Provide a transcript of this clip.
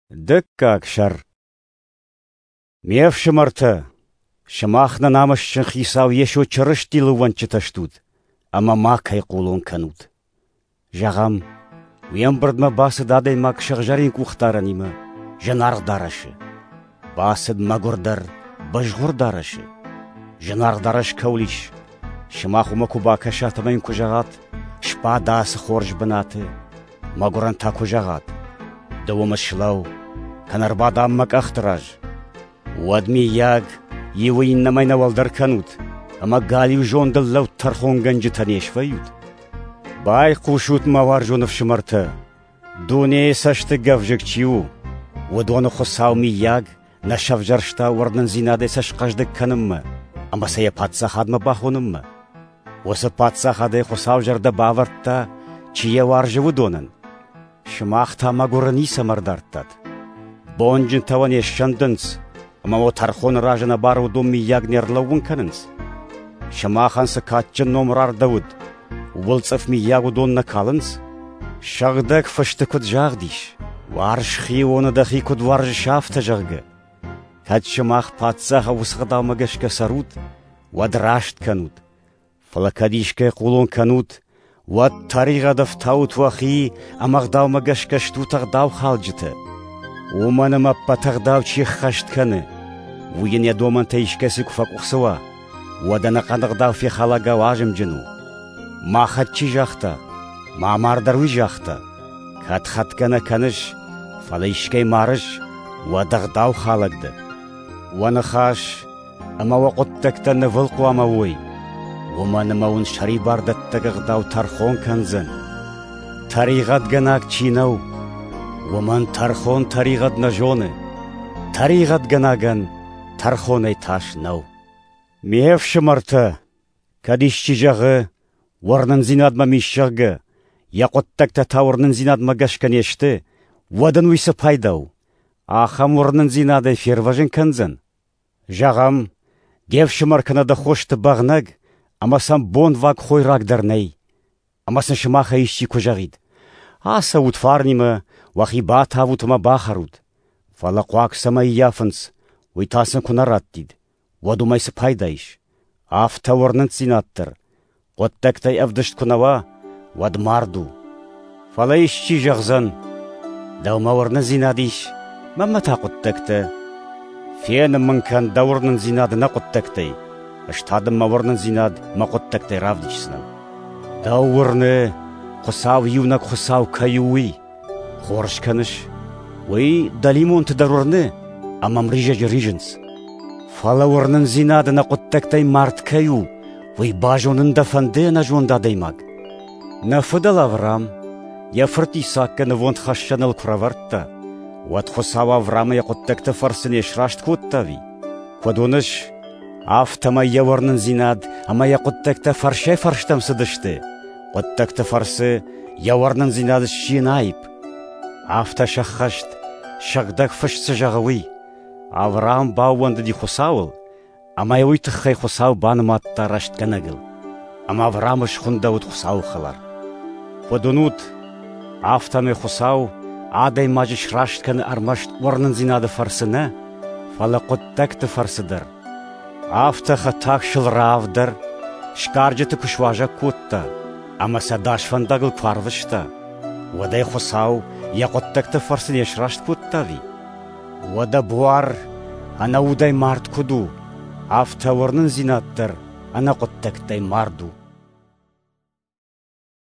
Дыккаг сӕр. Ме фсымӕртӕ, сымах нӕ намысджын Хицау Йесо Чырыстийыл ӕууӕнчытӕ стут, ӕмӕ макӕй хъулон кӕнут. Зӕгъӕм, уе мбырдмӕ бацыд адӕймаг сыгъзӕрин къухдарӕнимӕ, зынаргъ дарӕсы. Бацыд мӕгуырдӕр, бызгъуыр дарӕсы. Зынаргъ дарӕс кӕуыл ис, сымах уымӕ куы бакӕсат ӕмӕ йын куы зӕгъат, сбад ацы хорз бынаты, мӕгуырӕн та куы зӕгъат, ды уым слӕуу, кӕнӕ ӕрбадӕм мӕ къӕхты раз. Уӕд, миййаг, иуы иннӕмӕй нӕ уӕлдӕр кӕнут, ӕмӕ галиу зондыл лӕуд тӕрхонгӕнджытӕ не свӕййут? Байхъусут, мӕ уарзон ӕфсымӕртӕ, дунейы цӕсты гӕвзыкк чи у, уыдоны Хуыцау, миййаг, нӕ сӕвзӕрста уырнындзинадӕй сӕ схъӕздыг кӕнынмӕ ӕмӕ сӕ йӕ паддзахадмӕ бахонынмӕ. Уыцы паддзахадӕй Хуыцау зӕрдӕ бавӕрдта, чи йӕ уарзы, уыдонӕн. Сымах та мӕгуыры ницӕмӕ ӕрдардтат. Бонджынтӕ уӕ не ссӕндынц, ӕмӕ уӕ тӕрхоны раз ӕнӕбары уыдон мыййаг не рлӕууын кӕнынц. Сымахӕн цы кадджын ном рардӕуыд, ууыл цъыф мыййаг уыдон нӕ калынц? Сыгъдӕг фысты куыд загъд ис, уарз хионы дӕхи куыд уарзыс, афтӕ, зӕгъгӕ. Кӕд сымах паддзахы уыцы ӕгъдаумӕ гӕсгӕ цӕрут, уӕд раст кӕнут. Фӕлӕ кӕд искӕй хъулон кӕнут, уӕд тӕригъӕд ӕфтаут уӕхи ӕмӕ ӕгъдаумӕ гӕсгӕ стут ӕгъдаухалджытӕ. Уымӕн ӕмӕ ӕппӕт ӕгъдау чи ӕххӕст кӕны, уый йын йӕ домӕнтӕ искӕцы куы фӕкъуыхцы уа, уӕд ӕнӕхъӕн ӕгъдау фехалӕгау азымджын у. Махӕн чи загъта, ма амар дӕр уый загъта. Кӕд хӕтгӕ нӕ кӕныс, фӕлӕ искӕй марыс, уӕд ӕгъдаухалӕг дӕ. Уӕ ныхас ӕмӕ уӕ хъуыддӕгтӕ нывыл хъуамӕ уой, уымӕн ӕмӕ уын сӕрибардӕттӕг ӕгъдау тӕрхон кӕндзӕн. Тӕригъӕдгӕнӕг чи нӕу, уымӕн тӕрхон тӕригъӕд нӕ зоны, тӕригъӕдгӕнӕгӕн тӕрхонӕй тас нӕу. Ме фсымӕртӕ, кӕд исчи зӕгъы, уырнындзинад мӕм ис, зӕгъгӕ, йӕ хъуыддӕгтӕ та уырнындзинадмӕ гӕсгӕ не сты, уӕд ын уый цы пайда у? Ахӕм уырнындзинадӕй фервӕзын кӕндзӕн? Зӕгъӕм, де фсымӕр кӕнӕ дӕ хосты бӕгънӕг, ӕмӕ сӕм бонваг хойраг дӕр нӕй. Ӕмӕ сын сымахӕй исчи куы зӕгъид: «Ацӕут фарнимӕ, уӕхи батавут ӕмӕ бахӕрут», фӕлӕ хъуаг цӕмӕй ӕййафынц, уый та сын куы нӕ раттид, уӕд уымӕй цы пайда ис? Афтӕ уырнындзинад дӕр, хъуыддӕгтӕй ӕвдыст куы нӕ уа, уӕд мард у. Фӕлӕ исчи зӕгъдзӕн: «Дӕумӕ уырнындзинад ис, мӕнмӕ та хъуыддӕгтӕ. Фенын мын кӕн дӕ уырнындзинад нӕ хъуыддӕгтӕй, ӕз та дын мӕ уырнындзинад мӕ хъуыддӕгтӕй равдисдзынӕн. Дӕу уырны, Хуыцау иунӕг Хуыцау кӕй у, уый. Хорз кӕныс, уый дӕлимонты дӕр уырны, ӕмӕ ӕмризӕджы ризынц. Фӕлӕ уырнындзинад нӕ хъуыддӕгтӕй мард кӕй у, уый базонын дӕ фӕнды, ӕнӕзонд адӕймаг? Нӕ фыдӕл Авраам йӕ фырт Исаккы нывондхӕссӕныл куы рӕвӕрдта, уӕд Хуыцау Авраамы йӕ хъуыддӕгты фӕрцы не сраст кодта ӕви? Куыд уыныс, афтӕмӕй йӕ уырнындзинад ӕмӕ йӕ хъуыддӕгтӕ фӕрсӕй-фӕрстӕм цыдысты. Хъуыддӕгты фӕрцы йӕ уырнындзинад сси ӕнаипп. Афтӕ сӕххӕст, Сыгъдӕг Фыст цы зӕгъы, уый. Авраам баууӕндыди Хуыцауыл, ӕмӕ йӕ уый тыххӕй Хуыцау банымадта рӕстгӕнӕгыл. Ӕмӕ Авраамы схуындӕуыд Хуыцауы хӕлар. Куыд уынут, афтӕмӕй Хуыцау адӕймаджы сраст кӕны ӕрмӕст уырнындзинады фӕрцы нӕ, фӕлӕ хъуыддӕгты фӕрцы дӕр. Афтӕ хӕтаг сыл Раав дӕр сгарджыты куы суазӕг кодта ӕмӕ сӕ дӕс фӕндагыл куы арвыста, уӕд ӕй Хуыцау йӕ хъуыддӕгты фӕрцы не сраст кодта ӕви? Уӕдӕ буар ӕнӕудӕй мард куыд у, афтӕ уырнындзинад дӕр ӕнӕхъуыддӕгтӕй мард у.